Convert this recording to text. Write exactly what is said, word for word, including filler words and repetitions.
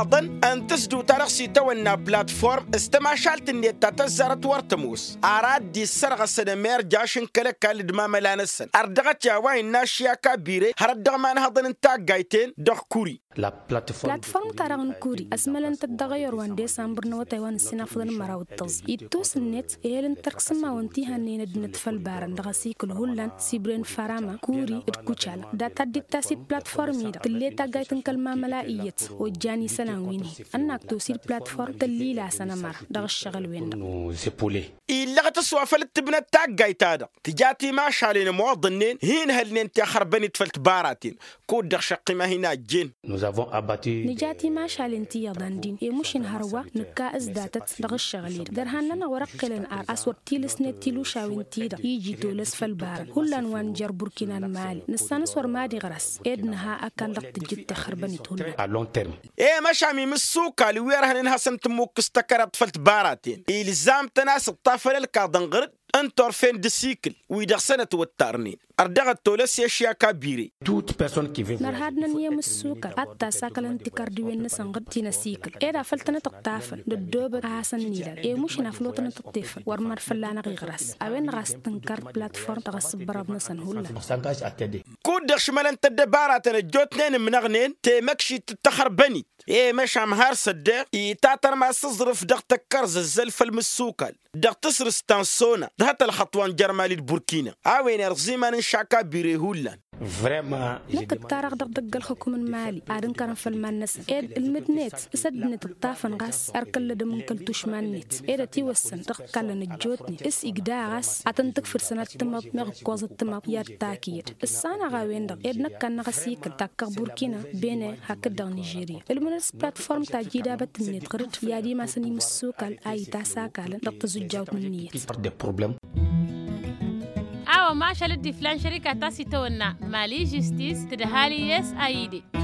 Ăḍăn ǝnta s-dd-uta-dăɣ s-itawănna platform s-tămašalt-net ta tăzzarăt wăr tămoos. Ara dd-issărɣăsăn ămerjaš n-kăl-ăkall d-imamăla-năsăn ărdăɣăt i-a-wa innă ašyaka bire hărăt dăɣ-imanhăḍăn n-taggayt-en dăɣ-kuri. Platform-ta-dăɣ n-kuri ăsmălăn-tăt dăɣ-eyăr wa n-desambăr n-awătay wa n-ǝssin afḍăn n-măraw d-tăẓẓa ittus ǝnnet ehel n-tărk s-ǝmmawăn ti hannăyăn ăddinăt făll-ibarăn dăɣ-asikǝl hullan sibren farama kuri d-kucala. Data dd-ittas i-platform-i-dăɣ tǝlle taggayt n-kăl-mamăla iyyăt ojjan isălan wi n-hin ănnak tosi d-platform tăllilasăn ămăra dăɣ-ǝššăɣǝl-wen-dăɣ. Illăɣăt s-wa făl t-tǝbnăt taggayt-ta-dăɣ tǝja timašalen ămoḍănnen hin-hălnen ti axărbăn-dd făll-tibaraten. Kud-dăɣ šăqqima hin-ajjen. Nǝja timašalen ti iyyăḍan din i-mušin hărwa nǝkka s-datăt dăɣ-ǝššăɣǝl-i-dăɣ dărhan-nănăɣ wăr ăqqelăn ar a-s wăr t-ilǝsnet tilušawen-ti-dăɣ iji tolăs făll-barăn hullan wa n-jer-burkina n-mali nǝssan a-s wăr mad-iɣras ed nǝha ăkall dăɣ-tǝjjǝt tixărbăn-it hullan. I-măšam imǝssukal wi ărhănen hasăn-tǝmmukǝs tăkăraḍt făll-tibaraten ilzam-tăn a-s ǝṭṭafăn ălkaḍăn ɣăr-dd n-turfen d-asikǝl wi dăɣ-săn ătwăttarnen. Ărdăɣăt tolăs i-ašyaka bire. Nărha ad-năn i-imǝssukal ad-t-asakălăn tikărdiwen-năsăn ɣǝd ti n-asikǝl ed afăl tănăt-ǝṭṭafăn d-ăddoobăt a hasăn-nilal i-mušǝn afăl wa tănăt-ǝṭṭefăn wăr mad-fălla-năɣ iɣras. A-wen-dăɣ a-s tǝnkăr platform dăɣ-asǝbbărăḍ-năsăn hullan. Kud-dăɣ šmălăn-t ăddăbaratăn ăjjootnen ǝmnăɣnen temăkšit d-taxărbănit i-măšam har s-ăddeɣ itatărmas aẓrǝf dăɣ-tăkkărzăzzăl făll-imǝssukal dăɣ-tasrǝst ta n-sona d-hăt ălxăṭṭ wa n-jer-mali d-burkina. A-wen irẓ iman n-šaka bire hullan. Năkk ǝttarăɣ dăɣ-idăgg ălxukum n-mali ad-ǝnkărăn făll-iman-năsăn ed ǝlmǝd-net s-ăddinăt ǝṭṭafăn ɣas ărkăllădăm n-kăl-tušma-net ed ătiwăssăn dăɣ-t-kallăn ăjjootnen s-igda ɣas ad-tăn-tǝkfǝd sănat timaḍ meɣ ǝkkoẓăt timaḍ i-ad-takǝyăd. Ǝssanăɣ a-wen-dăɣ ed năkk ad-năɣ ăsikǝl takkăɣ burkina bene hakd-dăɣ nižerya. Ǝlmǝnăt s-platform ta ija idabăt-net ɣǝr-dd i-ad-imasăn imǝssukal a itasakalăn dăɣ-tazǝjjawt n-ǝnniyăt. A-wa mašal dd-iflan šărika ta s-itawănna mali žistis tǝdhali s-a ide.